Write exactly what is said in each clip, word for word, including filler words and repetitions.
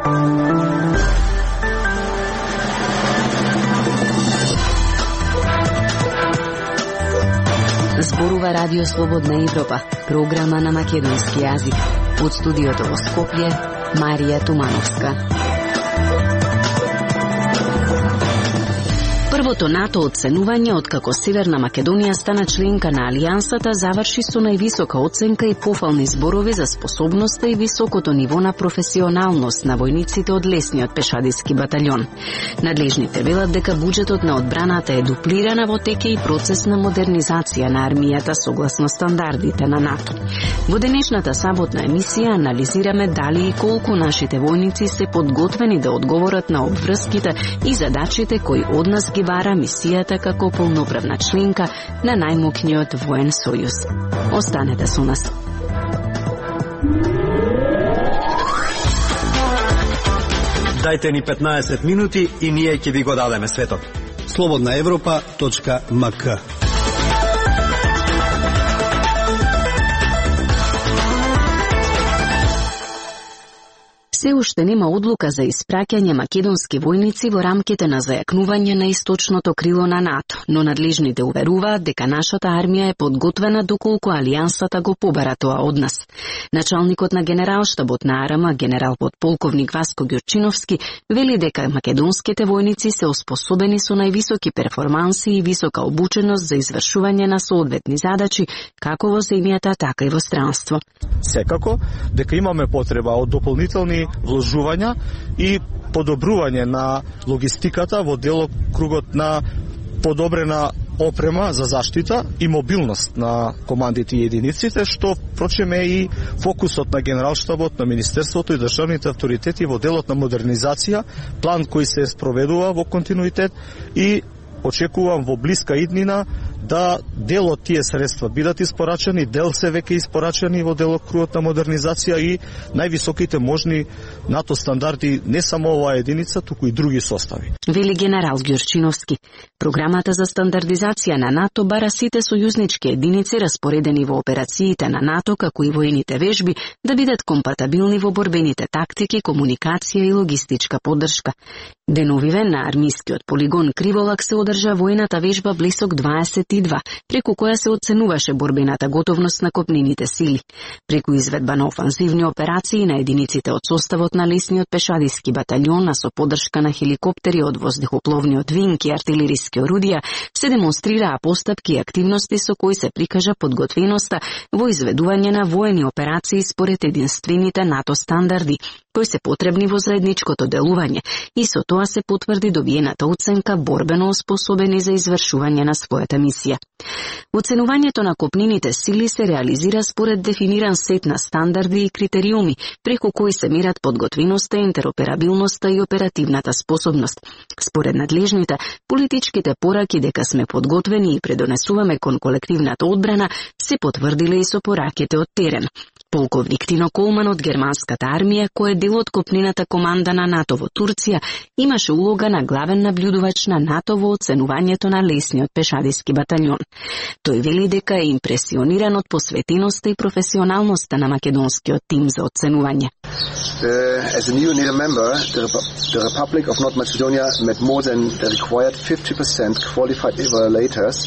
Зборува Радио Слободна Европа, програма на македонски јазик. Од студиото во Скопје, Марија Тумановска. Првото НАТО оценување откако Северна Македонија стана членка на Алијансата заврши со највисока оценка и пофални зборови за способноста и високото ниво на професионалност на војниците од лесниот пешадиски батальон. Надлежните велат дека буџетот на одбраната е дуплирана во тек и процес на модернизација на армијата согласно стандардите на НАТО. Во денешната саботна емисија анализираме дали и колку нашите војници се подготвени да одговорат на обврските и задачите кои од нас ги бара мисијата како полноправна членка на најмокниот воен сојуз. Останете со нас. Дајте ни петнаесет минути и ние ќе ви го дадеме светот. слободна европа точка ем ка. Се уште нема одлука за испраќање македонски војници во рамките на зајакнување на источното крило на НАТО, но надлежните уверуваат дека нашата армија е подготвена доколку Алијансата го побара тоа од нас. Началникот на генералштабот на АРМ, генерал подполковник Васко Ѓурчиновски, вели дека македонските војници се оспособени со највисоки перформанси и висока обученост за извршување на соодветни задачи, како во земјата, така и во странство. Секако дека имаме потреба од дополнителни вложувања и подобрување на логистиката во делокругот на подобрена опрема за заштита и мобилност на командите и единиците, што впрочем е и фокусот на генералштабот, на Министерството и државните авторитети во делот на модернизација, план кој се спроведува во континуитет и очекувам во блиска иднина да дел од тие средства бидат испорачани, дел се веќе испорачани во делокругот на модернизација и највисоките можни НАТО стандарди не само оваа единица, туку и други состави. Вели генерал Ѓурчиновски. Програмата за стандардизација на НАТО бара сите сојузнички единици распоредени во операциите на НАТО, како и воените вежби, да бидат компатабилни во борбените тактики, комуникација и логистичка поддршка. Деновиве на армискиот полигон Криволак се одржа војната вежба Блисок дваесет и два, преку која се оценуваше борбената готовност на копнените сили. Преку изведба на офанзивни операции на единиците од составот на лесниот пешадиски батальон, а со поддршка на хеликоптери од воздухопловниот винг и артилериски орудија, се демонстрираа постапки и активности со кои се прикажа подготвеноста во изведување на воени операции според единствените НАТО стандарди, кои се потребни во заедничкото делување, и со тоа се потврди добиената оценка борбено оспособени за извршување на својата мисија. Оценувањето на копнените сили се реализира според дефиниран сет на стандарди и критериуми, преку кои се мерат подготвеноста, интероперабилноста и оперативната способност. Според надлежните, политичките пораки дека сме подготвени и предонесуваме кон колективната одбрана се потврдиле и со пораките од терен. Полковник Тино Колман од германската армија, кој е дел од копнената команда на НАТО во Турција, имаше улога на главен наблюдувач на НАТО во оценувањето на лесниот пешадиски батальон. Тој вели дека е импресиониран од посветеноста и професионалноста на македонскиот тим за оценување. Uh, as a new NATO member, the, Rep- the Republic of North Macedonia met more than the required fifty percent qualified evaluators.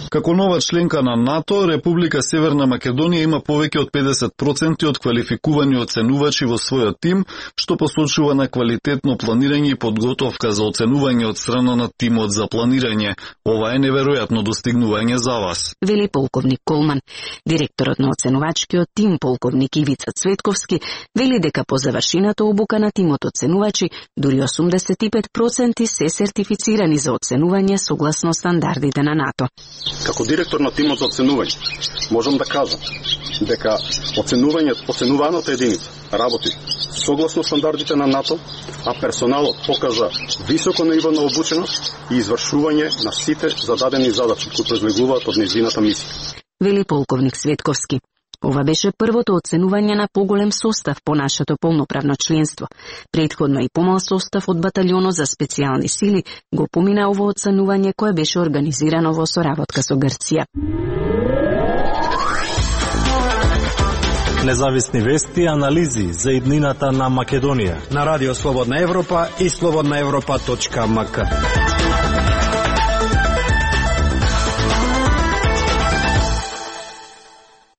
Како нова членка на НАТО, Република Северна Македонија има повеќе од педесет проценти од квалификувани оценувачи во својот тим, што посочува на квалитетно планирање и подготовка за оценување од страна на тимот за планирање. Ова е неверојатно достигнување за вас. Вели полковник Колман. Директорот на оценувачкиот тим, полковник Ивица Цветковски, вели дека по завршената обука на тимот оценувачи, дури осумдесет и пет проценти се сертифицирани за оценување согласно стандардите на НАТО. Како директор на тимот за оценување, можам да кажам дека оценувањето, оценуваната единица работи согласно стандардите на НАТО, а персоналот покажа високо ниво на обученост и извршување на сите зададени задачи кои произлегуваат од нејзината мисија. Вели полковник Светковски. Ова беше првото оценување на поголем состав по нашето полноправно членство. Претходно и помал состав од батальјонот за специјални сили го помина ово оценување кое беше организирано во соработка со Грција. Независни вести и анализи за иднината на Македонија на Радио Слободна Европа и слободна европа точка ем ка.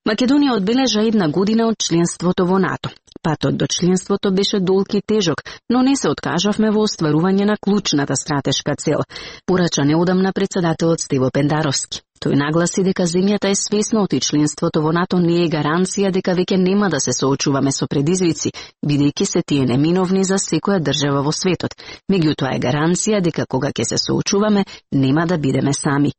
Македонија одбележа една година од членството во НАТО. Патот до членството беше долг и тежок, но не се откажавме во остварување на клучната стратешка цел, порача неодамна председателот Стево Пендаровски. Тој нагласи дека земјата е свесна оти членството во НАТО не е гаранција дека веќе нема да се соочуваме со предизвици, бидејќи се тие неминовни за секоја држава во светот. Меѓутоа е гаранција дека кога ќе се соочуваме, нема да бидеме сами.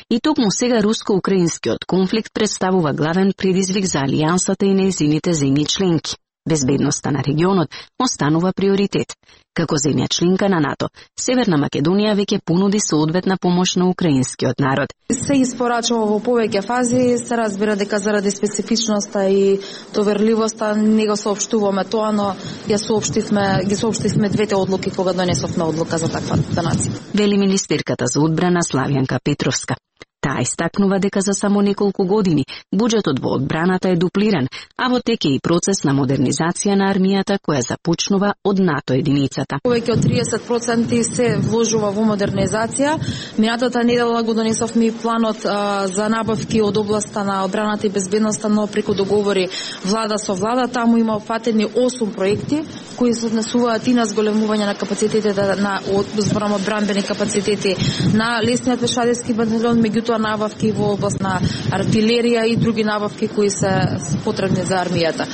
И токму сега руско-украинскиот конфликт представува главен предизвик за алијансата и нејзините земји членки. Безбедноста на регионот останува приоритет. Како земја членка на НАТО, Северна Македонија веќе понуди соодветна помош на украинскиот народ. Се испорачува во повеќе фази, се разбира дека заради специфичноста и доверливоста не го соопштуваме тоа, но ја соопштивме, ги соопштивме двете одлуки кога донесовме одлука за таква донација. Вели министерката за одбрана Славјанка Петровска. Таа истакнува дека за само неколку години буџетот во одбраната е дуплиран, а во тек е и процес на модернизација на армијата која започнува од НАТО единицата. Повеќе од триесет проценти се вложува во модернизација. Минатата недела го донесовме и планот а, за набавки од областа на одбраната и безбедноста, но преку договори влада со влада. Таму има опфатени осум проекти кои се однесуваат и на зголемување на капацитетите на зборам одбранбени капацитети на лесниот пешадирски батальон, меѓутоа набавки во област на артилерија и други набавки кои се потребни за армијата.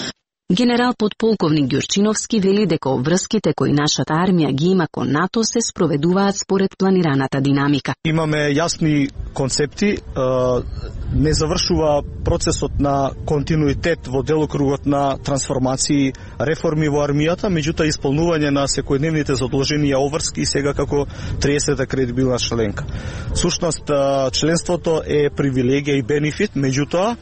Генерал подполковник Ѓурчиновски вели дека обврските кои нашата армија ги има кон НАТО се спроведуваат според планираната динамика. Имаме јасни концепти, не завршува процесот на континуитет во делокругот на трансформации, реформи во армијата, меѓутоа исполнување на секојдневните задолженија обврски сега како триесета кредибилна членка. Сушност, членството е привилегија и бенефит, меѓутоа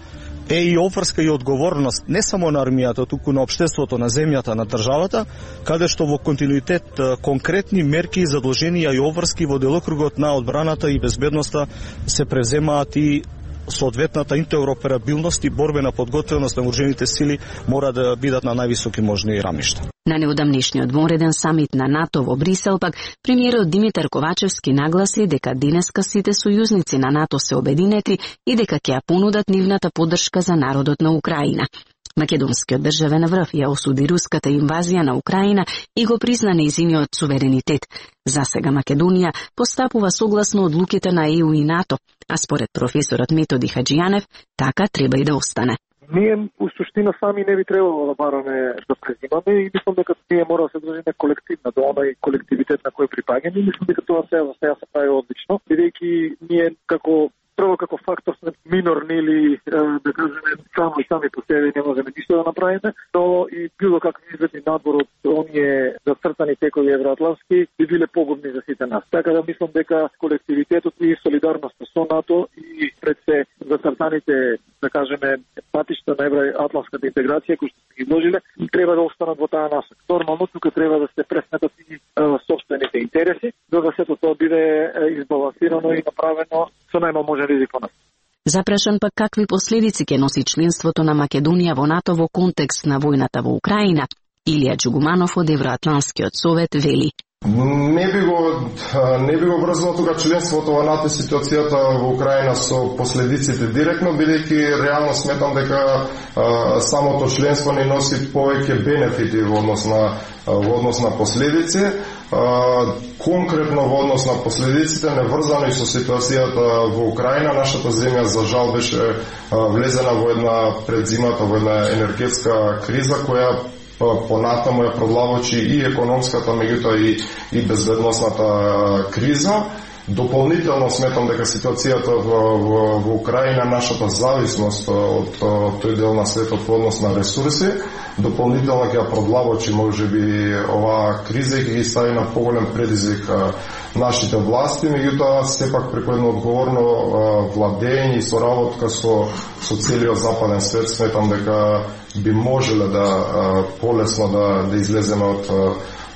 е и обврска и одговорност не само на армијата, туку на општеството, на земјата, на државата, каде што во континуитет конкретни мерки, задолженија и обврски во делокругот на одбраната и безбедноста се превземаат и соодветната интероперабилност и борбена подготвеност на вооружените сили мора да бидат на највисоки можни рамишта. На неодамнешниот вонреден самит на НАТО во Брисел пак, премиерот Димитар Ковачевски нагласи дека денеска сите сојузници на НАТО се обединети и дека ќе ја понудат нивната поддршка за народот на Украина. Македонскиот државен врв ја осуди руската инвазија на Украина и го призна нејзиниот суверенитет. За сега Македонија постапува согласно одлуките на Е У и НАТО, а според професорот Методи Хаџијанев, така треба и да остане. Ние, у суштина, сами не би требало да бараме да презимаме и мислам дека ние мора да се држиме колективно до онај колективитет на кој припаѓаме и мислам дека тоа сега за сега се прави одлично, бидејќи ние како прво како фактор сме минорни или да кажеме само и сами по себе не можеме ништо да направиме, но и било какви изведни надбор од оние зацртани текови евроатлански би биле погубни за сите нас. Така да мислам дека колективитетот и солидарноста со НАТО и пред се зацртаните, да кажеме, патишта на евроатланската интеграција кои што се ги вложиле, треба да останат во таа насока. Нормално тука треба да се пресметат и собствените интереси, за да сето тоа биде избалансирано и направено со најмал можен ризик по нас. Запрашан пак какви последици ќе носи членството на Македонија во НАТО во контекст на војната во Украина, Илија Џугуманов од Евроатланскиот совет вели: Не би го не би го врзало тука членството во НАТО ситуацијата во Украина со последиците директно, бидејќи реално сметам дека а, самото членство не носи повеќе бенефити во однос на во однос на последици. А, конкретно во однос на последиците неврзано и со ситуацијата во Украина, нашата земја за жал беше а, влезена во една предзимата во една енергетска криза која понатаму ја провлавочи и економската, меѓутоа и, и безбедносната криза. Дополнително сметам дека ситуацијата во, во, во Украина, нашата зависност од, од тој дел на светот во однос на ресурси, дополнително ќе ја провлавочи можеби оваа криза и ќе ги стави на поголем предизвик нашите власти, меѓутоа сепак преку едно одговорно владење и соработка со, со целиот западен свет сметам дека би можеле да полесно да, да излеземе од,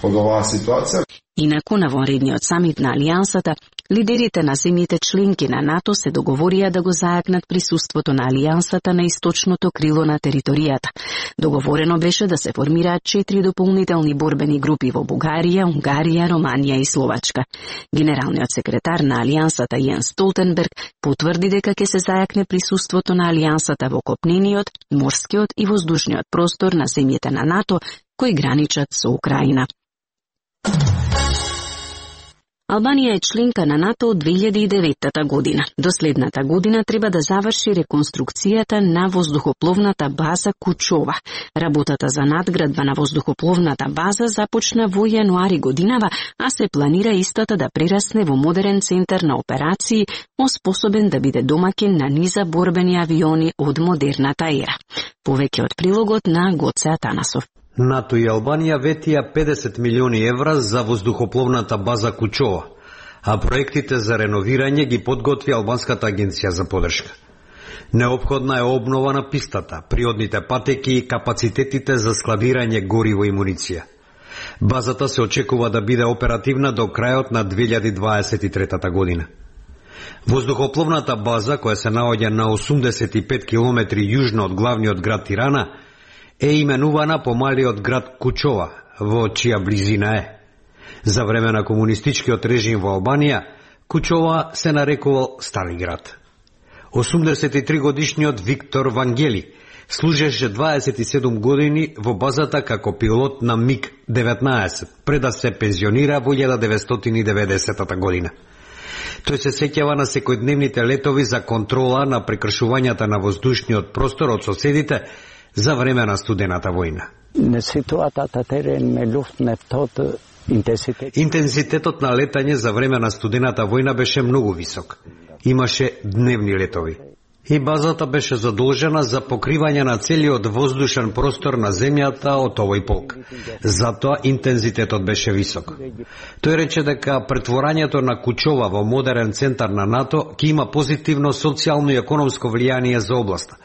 од оваа ситуација. Инаку на вонредниот самит на Алијансата, Лидерите на земјите членки на НАТО се договорија да го зајакнат присуството на алијансата на источното крило на територијата. Договорено беше да се формираат четири дополнителни борбени групи во Бугарија, Унгарија, Романија и Словачка. Генералниот секретар на алијансата Јенс Столтенберг потврди дека ќе се зајакне присуството на алијансата во копнениот, морскиот и воздушниот простор на земјите на НАТО кои граничат со Украина. Албанија е членка на НАТО од две илјади и деветта година. До следната година треба да заврши реконструкцијата на воздухопловната база Кучова. Работата за надградба на воздухопловната база започна во јануари годинава, а се планира истата да прерасне во модерен центар на операции, оспособен да биде домаќин на низа борбени авиони од модерната ера. Повеќе од прилогот на Гоце Атанасов. НАТО и Албанија ветија педесет милиони евра за воздухопловната база Кучова, а проектите за реновирање ги подготви Албанската агенција за подршка. Неопходна е обнова на пистата, приодните патеки и капацитетите за складирање гориво и муниција. Базата се очекува да биде оперативна до крајот на две илјади дваесет и трета година. Воздухопловната база, која се наоѓа на осумдесет и пет километри јужно од главниот град Тирана, е именувана по малиот град Кучова, во чија близина е. За време на комунистичкиот режим во Албанија, Кучова се нарекувал Стари град. осумдесет и три годишниот Виктор Вангели служеше дваесет и седум години во базата како пилот на миг деветнаесет, пред да се пензионира во илјада деветстотини и деветдесета година. Тој се сеќава на секојдневните летови за контрола на прекршувањата на воздушниот простор од соседите за време на студената војна. Интензитетот на летање за време на студената војна беше многу висок. Имаше дневни летови. И базата беше задолжена за покривање на целиот воздушен простор на земјата од овој полк. Затоа интензитетот беше висок. Тој рече дека претворањето на Кучова во модерен центар на НАТО ќе има позитивно социјално и економско влијание за областа,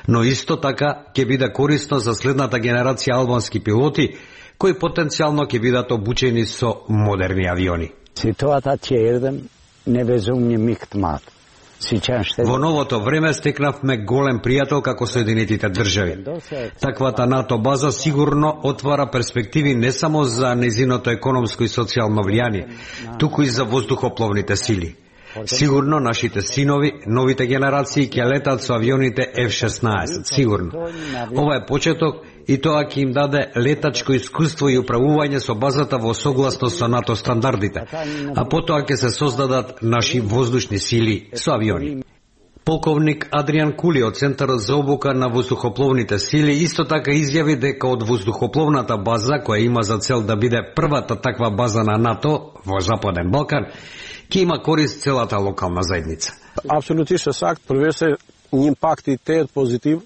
но исто така ќе биде корисно за следната генерација албански пилоти, кои потенцијално ќе бидат обучени со модерни авиони. Во новото време стекнавме голем пријател како Соединетите држави. Таквата НАТО база сигурно отвара перспективи не само за незиното економско и социјално влијание, туку и за воздухопловните сили. Сигурно нашите синови, новите генерации ќе летат со авионите Еф шеснаесет, сигурно. Ова е почеток и тоа ќе им даде летачко искуство и управување со базата во согласност со НАТО стандардите, а потоа ќе се создадат наши воздушни сили со авиони. Полковник Адриан Кули од Центарот за обука на воздухопловните сили исто така изјави дека од воздухопловната база, која има за цел да биде првата таква база на НАТО во Западен Балкан, ќе има корист целата локална заедница. Апсолутно сакт, првесе импактите позитив.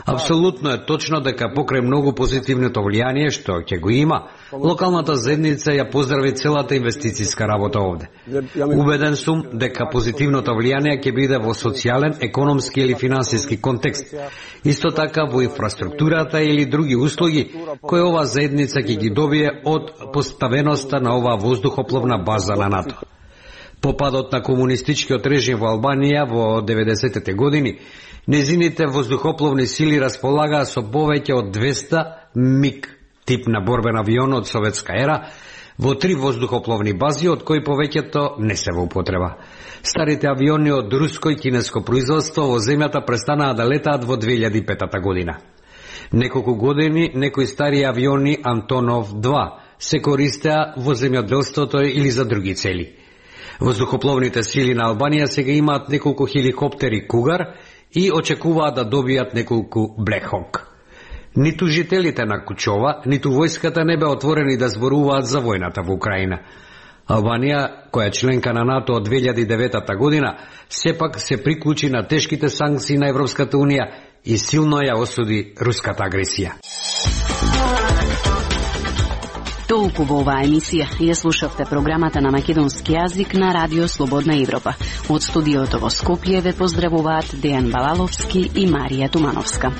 Апсолутно е точно дека покрај многу позитивното влијание што ќе го има, локалната заедница ја поздрави целата инвестицијска работа овде. Убеден сум дека позитивното влијание ќе биде во социјален, економски или финансиски контекст. Исто така во инфраструктурата или други услуги кои оваа заедница ќе ги добие од поставеноста на оваа воздухопловна база на НАТО. По падот на комунистичкиот режим во Албанија во деветдесетте години, незините воздухопловни сили располагаа со повеќе од двеста миг тип на борбен авион од советска ера во три воздухопловни бази, од кои повеќето не се во употреба. Старите авиони од руско и кинеско производство во земјата престанаа да летаат во две илјади и пета година. Неколку години некои стари авиони Антонов два се користеа во земјоделството или за други цели. Воздухопловните сили на Албанија сега имаат неколку хеликоптери Кугар и очекуваат да добијат неколку Black Hawk. Ниту жителите на Кучова, ниту војската не бе отворени да зборуваат за војната во Украина. Албанија, која е членка на НАТО од две илјади и девета година, сепак се приклучи на тешките санкции на Европската унија и силно ја осуди руската агресија. Толку во оваа емисија. Ја слушавте програмата на македонски јазик на Радио Слободна Европа. Од студиото во Скопје ве поздравуваат Дејан Балаловски и Марија Тумановска.